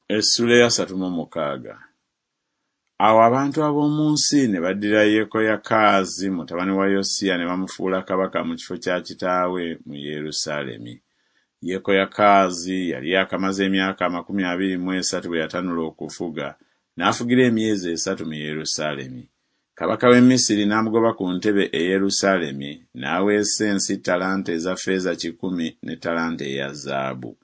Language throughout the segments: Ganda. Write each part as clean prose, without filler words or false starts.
Essuula ey'asatu mu mukaaga. Awo abantu ab'omu nsi ne baddira Yekoyakaazi mutabani wa Yosiya ne bamufuula kabaka mu kifo kya kitaawe mu Yerusaalemi. Yekoyakaazi yali yaakamaze emyaka 23 bwe yatanula okufuga, n'afugira emyezi esatu mu Yerusaalemi. Kabaka w'e Misiri n'amugoba ku ntebe e Yerusaalemi, n'aweesa ensi ttalanta eza ffeeza 100 ne ttalanta eya zaabu.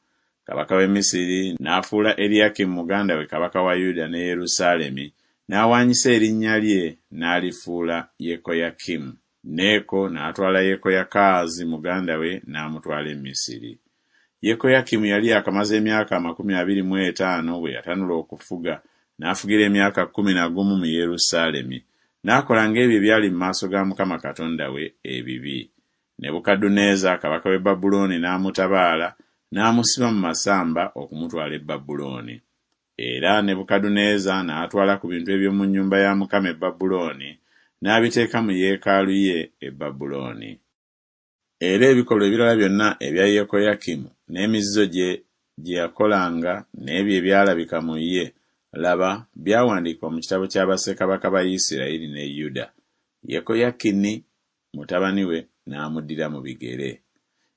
Kabaka w'e Misiri n'afuula Eriyakimu muganda we kabaka wa Yuda ne Yerusaalemi, n'awaanyisa erinnya lye n'alifuula Yekoyakimu. Neeko n'atwala Yekoyakaazi muganda we n'amutwala e Misiri. Yekoyakimu yali yaakamaze emyaka 25 bwe yatanula okufuga, n'afugira emyaka 11 mu Yerusaalemi. N'akola ng'ebyo ebyali mu maaso ga Mukama Katonda we ebibi. Nebukadduneeza kabaka w'e Babulooni n'amutabaala, n'amusiba mu masamba okumutwala e Babulooni. Era Nebukadduneeza n'atwala ku bintu eby'omu nnyumba ya Mukama e Babulooni, n'abiteeka mu yeekaalu ye e Babulooni. Era ebikolwa ebirala byonna ebya Yekoyakimu, n'emizizo gye gye yakolanga, n'ebyo ebyalabika mu ye, laba, byawandiikibwa mu kitabo kya bassekabaka ba Isirayiri ne Yuda. Yekoyakini mutabani we n'amuddira mu bigere.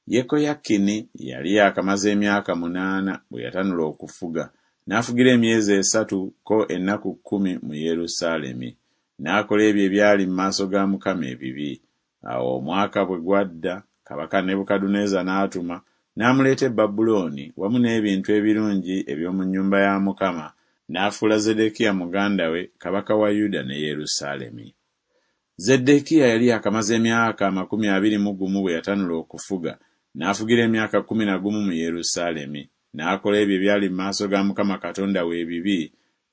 Yekoyakini yali yaakamaze emyaka 8 bwe yatanula okufuga, n'afugira emyezi esatu ko ennaku kkumi mu Yerusaalemi. N'akola ebyo ebyali mu maaso ga Mukama ebibi. Awo omwaka bwe gwadda, kabaka Nebukadduneeza n'atuma, n'amuleeta e Babulooni wamu n'ebintu ebirungi eby'omu nnyumba ya Mukama, n'afuula Zeddekiya muganda we kabaka wa Yuda ne Yerusaalemi. Zeddekiya yali yaakamaze emyaka 21 bwe yatanula okufuga, n'afugira emyaka 11 mu Yerusaalemi. N'akola ebyo ebyali mu maaso ga Mukama Katonda we ebibi,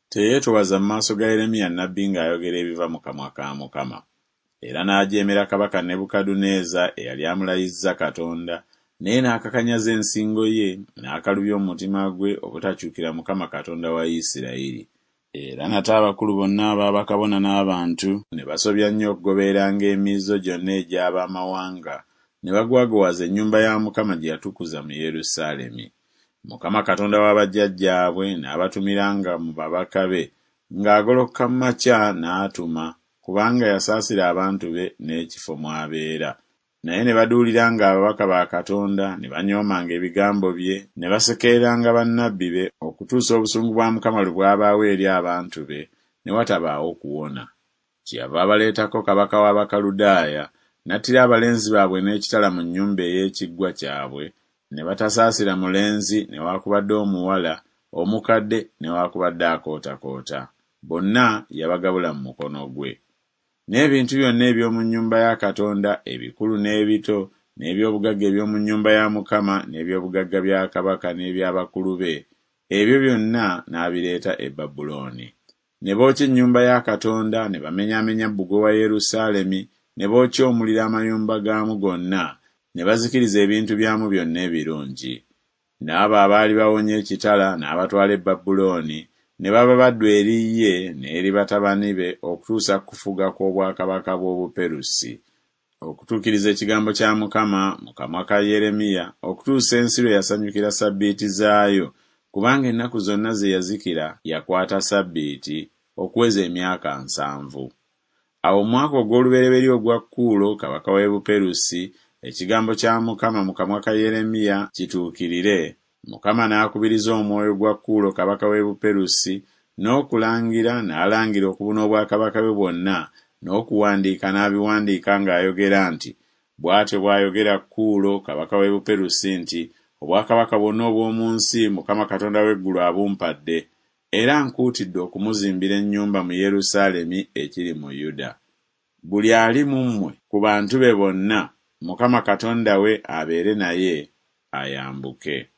teyeetoowaza mu maaso ga Yeremiya nnabbi ng'ayogera ebiva mu kamwa ka Mukama. Era n'ajeemera kabaka Nebukadduneeza eyali amulayizza Katonda, naye n'akakanyaza ensingo ye, n'akalubya omutima gwe obutakyukira Mukama Katonda wa Isirayiri. Era nate abakulu bonna aba bakabona n'abantu ne basobya nnyo okugobereranga emizizo gyonna egy'ab'amawanga, ne bagwagwawaza ennyumba ya Mukama gye yatukuza mu Yerusaalemi. Mukama Katonda wa bajjajjaabwe n'abatumiranga mu babaka be, ng'agolokoka mu makya n'atuma, kubanga yasaasira abantu be n'ekifo mw'abeera. Naye ne baduuliranga ababaka ba Katonda, ne banyoomanga ebigambo bye, ne basekereranga bannabbi be, okutuusa obusungu bwa Mukama lwe bwabaawo eri abantu be, ne watabaawo kuwona. Kyeyava abaleetako kabaka w'Abakaludaaya, n'attira abalenzi baabwe n'ekitala mu nnyumba ey'ekiggwa kyabwe, ne batasaasira mulenzi newaakubadde omuwala, omukadde newaakubadde akootakoota, bonna yabagabula mu mukono gwe. N'ebintu byonna eby'omu nnyumba ya Katonda, ebikulu n'ebito, n'eby'obugagga eby'omu nnyumba ya Mukama, n'eby'obugagga bya kabaka n'eby'abakulu be, ebyo byonna n'abireeta e Babulooni. Ne bookya ennyumba ya Katonda, ne bamenyaamenya bbugwe wa Yerusaalemi, ne bookya omuliro amayumba gaamu gonna, ne bazikiriza ebintu byamu byonna ebirungi. N'abo abaali bawonye ekitala n'abatwala e Babulooni, ne baba baddu eri ye n'eri batabani be okutuusa ku kufuga kw'obwakabaka bw'Obuperusi, okutuukiriza ekigambo kya Mukama mu kamwa ka Yeremiya, okutuusa ensi lwe yasanyukira ssabbiiti zaayo, kubanga ennaku zonna ze yazikira yakwata ssabbiiti, okuweza emyaka 70. Awo mu mwaka ogw'olubereberye ogwa Kuulo kabaka w'e Buperusi, ekigambo kya Mukama mu kamwa ka Yeremiya kituukirire, Mukama n'akubiriza omwoyo gwa Kuulo kabaka w'e Buperusi, n'okulangira n'alangira okubuna obwakabaka bwe bwonna, n'okuwandiika n'abiwandiika ng'ayogera nti Bw'atyo bw'ayogera Kuulo kabaka w'e Buperusi nti Obwakabaka bwonna obw'omu nsi Mukama Katonda w'eggulu abumpadde, era ankuutidde okumuzimbira ennyumba mu Yerusaalemi ekiri mu Yuda. Buli ali mu mmwe ku bantu be bonna, Mukama Katonda we abeere naye, ayambuke.